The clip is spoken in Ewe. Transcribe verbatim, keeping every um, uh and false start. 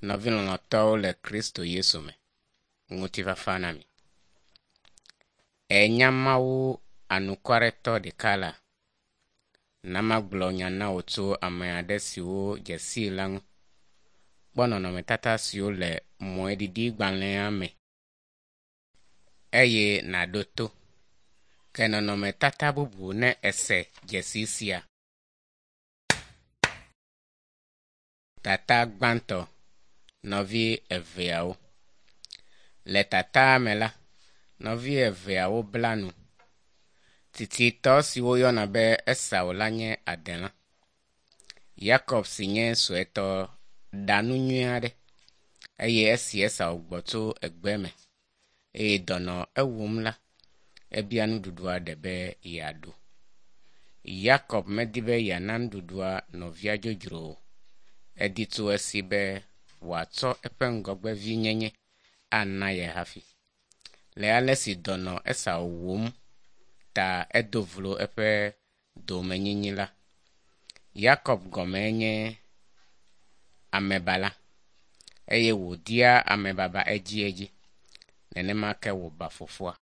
Nɔvi lɔlɔ̃tɔwo le Kristo Yesu me, ŋutifafa na mi. Ènya Mawu anukwaretɔ ɖeka la? Na magblɔ nya na wò tso ame aɖe siwo dze sii la ŋu. Kpɔ nɔnɔmetata siwo le mɔeɖiɖigbalẽa me eye nàɖo to. Ke nɔnɔmetata bubu ne èse dzesi sia. Tata gbãtɔ, nɔvi eveawo. Le tataa me la, nɔvi eveawo bla nu. Tititɔ si woyɔna be Esau la nye adelã. Yakob si nye suetɔ ɖa nu nyui aɖe eye esi Esau gbɔ tso egbe me eye dɔ nɔ ewum la, ebia nuɖuɖua ɖe be yeaɖu. Yakob medi be yeana nuɖuɖua nɔvia dzodzro o. Edi tso esi be wòatsɔ eƒe ŋgɔgbevinyenye ana ye hafi. Le ale si dɔ nɔ Esau wum ta edo vlo eƒe domenyinyi la. Yakob gɔmee nye amebala eye wòdia amebaba edziedzi. Nenema ke wòba fofoa.